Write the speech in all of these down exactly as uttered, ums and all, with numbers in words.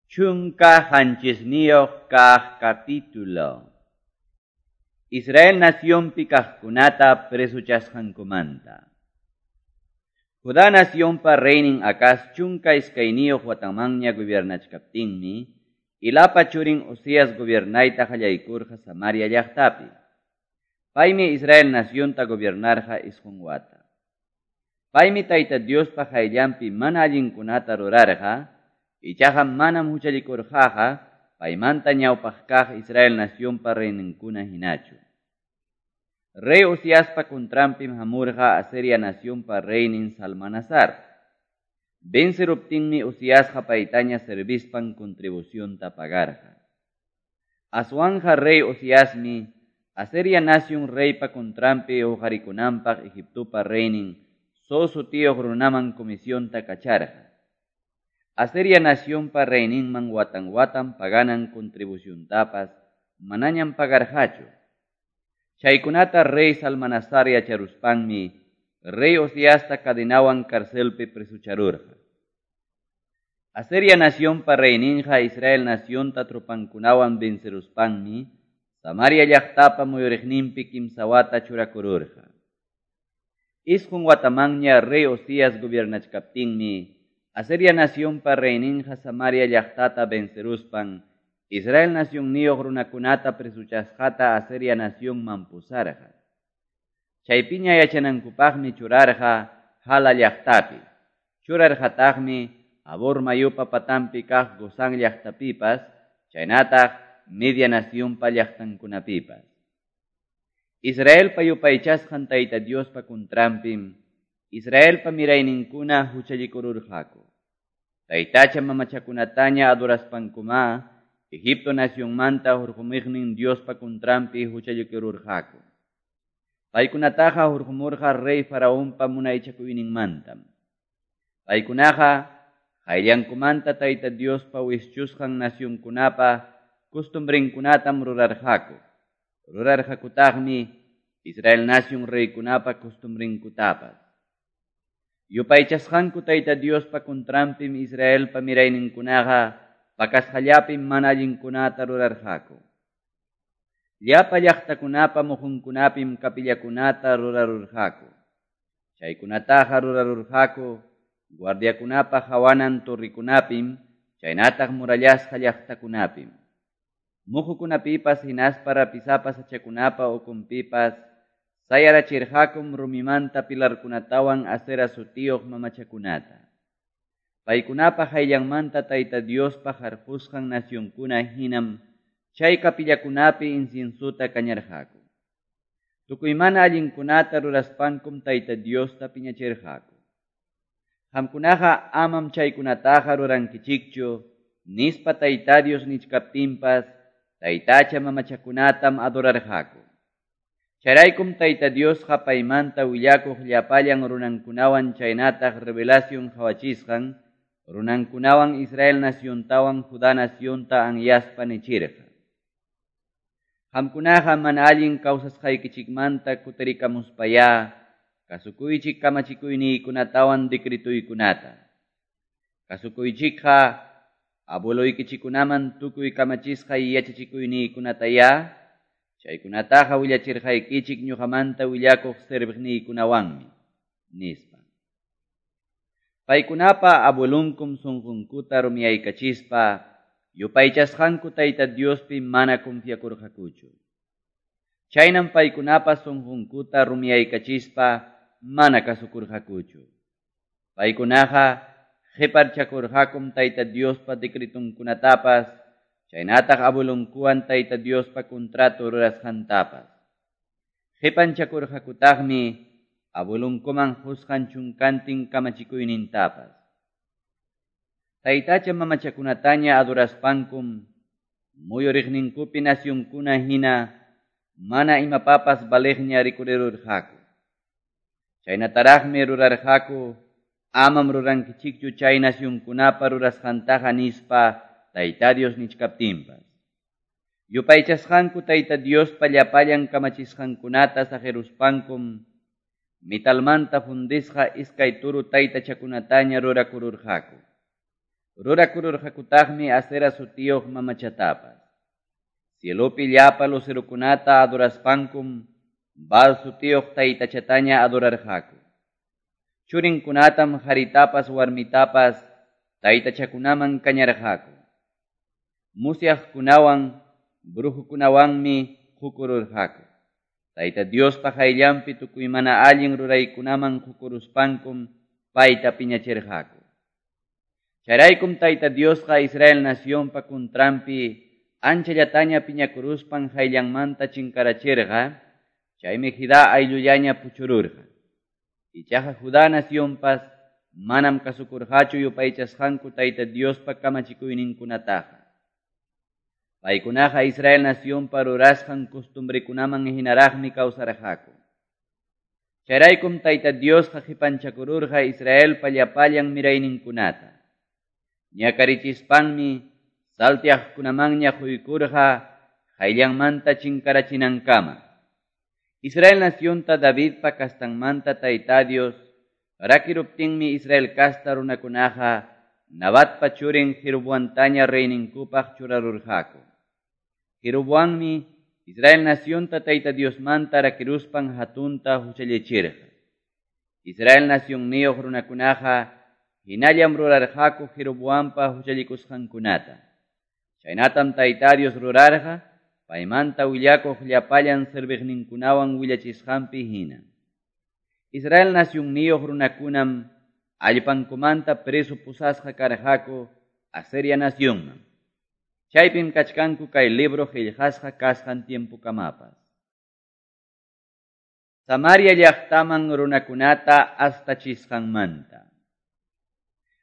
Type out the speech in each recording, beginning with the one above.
Chunka qanchisniyuq kaq capítulo. Israel nacionpi kaqkunata presuchasqankumanta. Judá nacionpa reynin Acaz chunka iskayniyuq watanmanña gobiernachkaptinmi, Ilapa churin Ozías gobiernayta qallaykurqa Samaria llaqtapi. Paymi Israel nacionta gobiernarqa isqun wata. Paymi Tayta Diospa qayllanpi mana allinkunata rurarqa, ichaqa manam huchallikurqaqa paymanta ñawpaq kaq Israel nacionpa reyninkuna hinachu. Rey Oziaspa contranpim hamurqa Asiria nacionpa reynin Salmanasar. Venceruptinmi Oziasqa paytaña servispan contribucionta pagarqa. Aswanja rey Oziasmi Asiria nacion reypa contranpi huqarikunanpaq Egiptopa reynin So sutiyuq runaman comisionta kacharqa. Asiria nacionpa reyninman watan watan paganan contribuciontapas manañam pagarqachu. Chaykunata rey Salmanasar yacharuspanmi rey Oziasta cadenawan carcelpi presucharurqa. Asiria nacionpa reyninqa Israel nacionta tropankunawan venceruspanmi Samaria llaqtapa muyuriqninpi kimsa wata churakururqa. Isqun watamanña rey Ozías gobiernachkaptinmi Asiria nacionpa reyninqa Samaria llaqtata venceruspan Israel nacionniyuq runakunata presuchasqata Asiria nacionman pusarqa. Chaypiña yachanankupaqmi churarqa Hala llaqtapi. Churarqataqmi Habor mayupa patanpi kaq Gozán llaqtapipas, chaynataq Media nacionpa llaqtankunapipas. Israelpa yupaychasqan Tayta Diospa contranpim Israelpa mirayninkuna huchallikururqaku. Taytacha mamachakunataña adoraspankuma Egipto nacionmanta hurqumuqnin Diospa contranpi huchallikururqaku. Paykunataqa hurqumurqa rey Faraonpa munaychakuyninmantam. Paykunaqa qayllankumanta Tayta Diospa wischusqan nacionkunapa costumbrenkunatam rurarqaku. Rurarqakutaqmi Israel nacion reykunapa costumbrenkutapas. Yupaychasqanku Tayta Diospa contranpim Israelpa mirayninkunaqa pakasqallapim mana allinkunata rurarqaku. Llapa llaqtakunapa muhunkunapim kapillakunata rurarurqaku. Chaykunataqa rurarurqaku guardiakunapa hawanan torrikunapim, chaynataq murallasqa llaqtakunapim. Muhukunapipas hinaspa rapisapa sachakunapa ukunpipas sayarachirqakum rumimanta pilarkunatawan Asera sutiyuq mamachakunata. Paykunapa qayllanmanta Tayta Diospa harqusqan nacionkuna hinam chay kapillakunapi inciensuta kañarqaku. Tukuy mana allinkunata ruraspankum Tayta Diosta piñachirqaku. Qamkunaqa amam chaykunataqa rurankichikchu, nispa Tayta Dios nichkaptinpas taytacha mamachakunatam adorarqaku. Chayraykum Tayta Diosqa paymanta willakuq llapallan runankunawan chaynataq revelación qhawachisqan runankunawan Israel naciontawan Judá nacionta anyaspa nichirqa. Qamkunaqa mana allin kawsasqaykichikmanta kutirikamuspayá kasukuychik kamachikuyniykunatawan decretuykunata. Kasukuychikqa abueloykichikunaman tukuy kamachisqay yachachikuyniykunatayá chaykunataqa willachirqaykichik ñuqamanta willakuq serviqniykunawanmi, nispa. Paykunapa abuelunkum sunqunkuta rumiyaykachispa yupaychasqanku Tayta Diospi mana confiakurqakuchu. Chaynam paykunapa sunqunkuta rumiyaykachispa mana kasukurqakuchu. Paykunaqa qiparchakurqakum Tayta Diospa decretunkunatapas, chaynataq abuelunkuwan Tayta Diospa contrato rurasqantapas. Qipanchakurqakutaqmi abuelunkuman qusqan chunkantin kamachikuynintapas. Taytacha mamachakunataña adoraspankum muyuriqninkupi nacionkuna hina mana imapapas valiqña rikurirurqaku. Chaynataraqmi rurarqaku amam rurankichikchu chay nacionkunapa rurasqantaqa nispa Tayta Dios nichkaptinpas. Yupaychasqanku Tayta Diospa llapallan kamachisqankunata saqiruspankum metalmanta fundisqa iskay turu taytachakunataña rurakururqaku. Rurakururqakutaqmi Asera sutiyuq mamachatapas. Cielopi llapa lucerokunata adoraspankum Baal sutiyuq taytachataña adorarqaku. Churinkunatam qaritapas warmitapas taytachakunaman kañarqaku. Musyaqkunawan brujukunawanmi qukururqaku. Tayta Diospa qayllanpi tukuy mana allin ruraykunaman qukuruspankum payta piñachirqaku. Chayraykum Tayta Diosqa Israel nacionpa kuntranpi anchallataña piñakuruspan qayllanmanta chinkarachirqa, chaymi Judá ayllullaña puchururqa. Ichaqa Judá nacionpas manam kasukurqachu yupaychasqanku Tayta Diospa kamachikuyninkunataqa. Paykunaqa Israel nacionpa rurasqan costumbrekunaman hinaraqmi kawsarqaku. Chayraykum Tayta Diosqa qipanchakururqa Israelpa llapallan mirayninkunata. Ñakarichispanmi saltiaqkunamanña quykurqa qayllanmanta chinkarachinankama. Israel nacionta Davidpa kastanmanta Tayta Dios rakiruptinmi Israel kasta runakunaqa Nabatpa churin Jeroboamtaña reyninkupaq churarurqaku. Jeroboammi Israel nacionta Tayta Diosmanta rakiruspan hatunta huchallichirqa. Israel nacionniyuq runakunaqa hinallam rurarqaku Jeroboampa huchallikusqankunata. Chaynatam Tayta Dios rurarqa paymanta willakuq llapallan serviqninkunawan willachisqanpi hina. Israel nacionniyuq runakunam allpankumanta preso pusasqa karqaku Asiria nacionman. Chaypim kachkanku kay libro qillqasqa kasqan tiempokamapas. Samaria llaqtaman runakunata astachisqanmanta.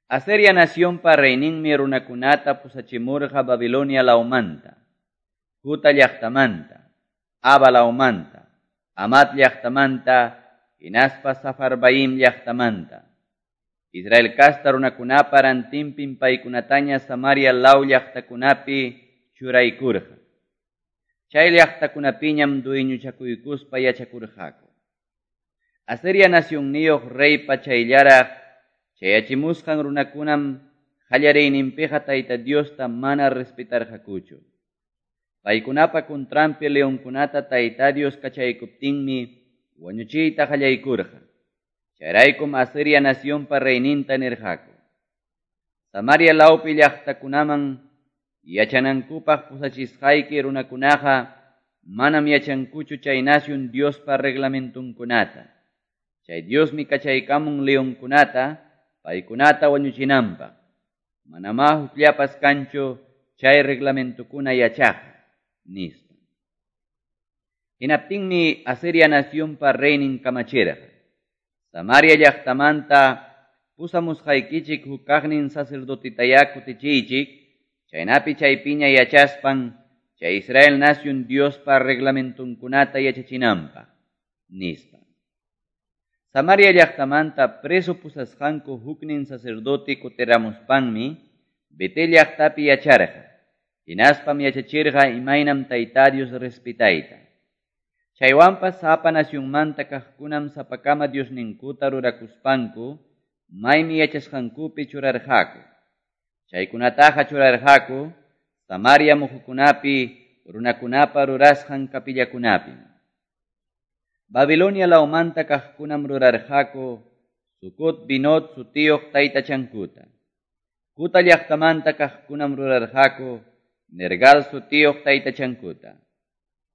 Asiria nacionpa reyninmi runakunata pusachimurqa Babilonia lawmanta, Juta llaqtamanta, Aba lawmanta, Amat llaqtamanta, hinaspa Safarbaim llaqtamanta. Israel kasta runakunapa rantinpim paykunataña Samaria law llaqtakunapi churaykurqa. Chay llaqtakunapiñam dueñochakuykuspa yachakurqaku. Asiria nacionniyuq reypa chayllaraq chayachimusqan runakunam qallariyninpiqa Tayta Diosta mana respetarqakuchu. Paykunapa kuntranpi leonkunata Tayta Dios kachaykuptinmi wañuchiyta qallaykurqa. Chayraykum Asiria nacionpa reyninta nirqaku. Samaria lawpi llaqtakunaman yachanankupaq pusachisqayki runakunaqa manam yachankuchu chay nacion Diospa reglamentunkunata. Chay Diosmi kachaykamun leonkunata paykunata wañuchinanpaq. Manamá hukllapas kanchu chay reglamentukuna yachaqqa, nispa. Hinaptinmi Asiria nacionpa reynin kamachirqa. Samaria llaqtamanta pusamusqaykichik huk kaqnin sacerdotitayá kutichiychik, chaynapi chaypiña yachaspan chay Israel nacion Diospa reglamentunkunata yachachinanpaq, nispa. Samaria llaqtamanta preso pusasqanku huknin sacerdote kutiramuspanmi Betel llaqtapi yacharqa, hinaspam yachachirqa imaynam Tayta Dios respetayta. Chaywanpas sapa nacionmanta kaqkunam sapakama Diosninkuta rurakuspanku maymi yachasqankupi churarqaku. Chaykunataqa churarqaku Samaria muhukunapi runakunapa rurasqan kapillakunapim. Babilonia lawmanta kaqkunam rurarqaku Sucot Binot sutiyuq taytachankuta. Kuta llaqtamanta kaqkunam rurarqaku Nergal sutiyuq taytachankuta.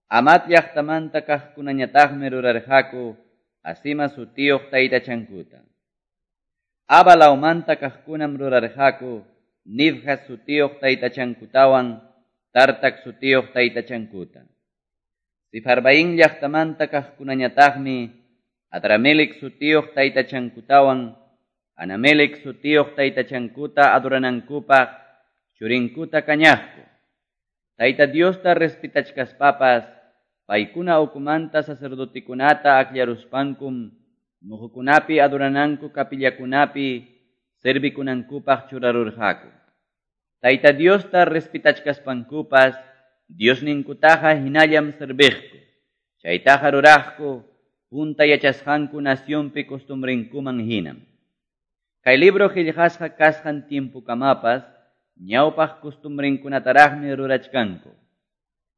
Amat llaqtamanta kaqkunañataqmi rurarqaku Asima sutiyuq taytachankuta. Aba lawmanta kaqkunam rurarqaku Nibjas sutiyuq taytachankutawan Tartak sutiyuq taytachankuta. Sifarbaín llaqtamanta kaqkunañataqmi Adramelec sutiyuq taytachankutawan Anamelec sutiyuq taytachankuta adoranankupaq churinkuta kañaqku. Tayta Diosta respetachkaspapas paykuna ukumanta sacerdotekunata akllaruspankum muhukunapi adorananku kapillakunapi servikunankupaq churarurqaku. Tayta Diosta respetachkaspankupas Diosninkutaqa hinallam serviqku. Chaytaqa ruraqku punta yachasqanku nacionpi costumbrenkuman hinam. Kay libro qillqasqa kasqan tiempukamapas ñawpaq costumbrenkunataraqmi rurachkanku.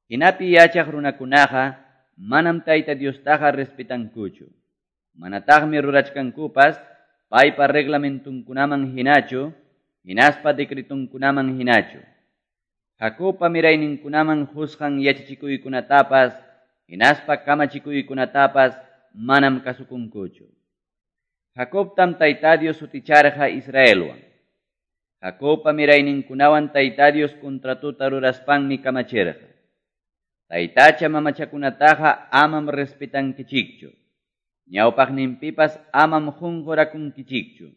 Hinapi yachaq runakunaqa manam Tayta Diostaqa respetankuchu. Manataqmi rurachkankupas paypa reglamentunkunaman hinachu, hinaspa decretunkunaman hinachu. Jacobpa mirayninkunaman qusqan yachachikuykunatapas, hinaspa kamachikuykunatapas manam kasukunkuchu. Jacobtam Tayta Dios suticharqa Israelwan. Jacobpa mirayninkunawan Tayta Dios contratuta ruraspanmi kamachirqa. Taytacha mamachakunataqa amam respetankichikchu. Ñawpaqninpipas amam qunqurakunkichikchu.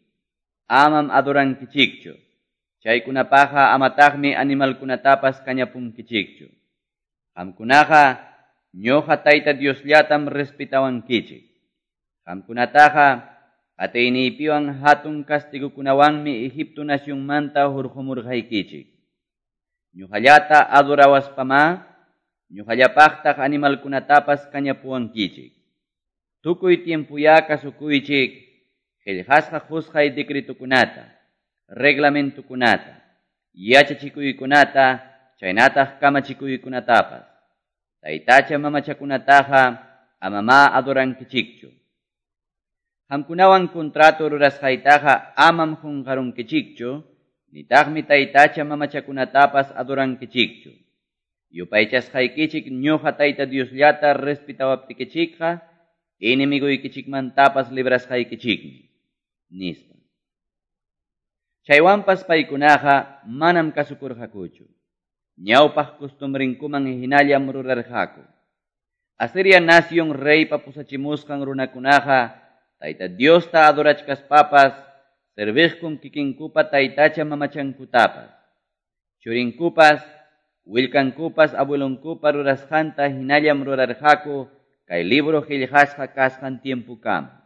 Amam adorankichikchu. Chaykunapaqa amataqmi animalkunatapas kañapunkichikchu. Qamkunaqa ñuqa Tayta Diosllatam respetawankichik. Qamkunataqa atiyniypiwan hatun castigukunawanmi Egipto nacionmanta hurqumurqaykichik. Ñuqallata adorawaspamá, ñuqallapaqtaq animalkunatapas kañapuwankichik. Tukuy tiempuyá kasukuychik, qillqasqa qusqay decretukunata, reglamentukunata, yachachikuykunata, chaynataq kamachikuykunatapas. Taytacha mamachakunataqa amamá adorankichikchu. Qamkunawan contrato rurasqaytaqa amam qunqarunkichikchu, nitaqmi taytacha mamachakunatapas adorankichikchu. Yupaychasqaykichik ñuqa Tayta Diosllata respetawaptikichikqa, enemiguykichikmantapas librasqaykichikmi, nispa. Chaywanpas paykunaqa manam kasukurqakuchu. Ñawpaq costumbrenkuman hinallam rurarqaku. Asiria nación reypa pusachimusqan runakunaqa Tayta Diosta adorachkaspapas, serviqkun kikinkupa taytacha mamachankutapas. Churinkupas, willkankupas abuelonkupa rurasqanta hinallam rurarqaku kay libro qillqasqa kasqan tiempukama.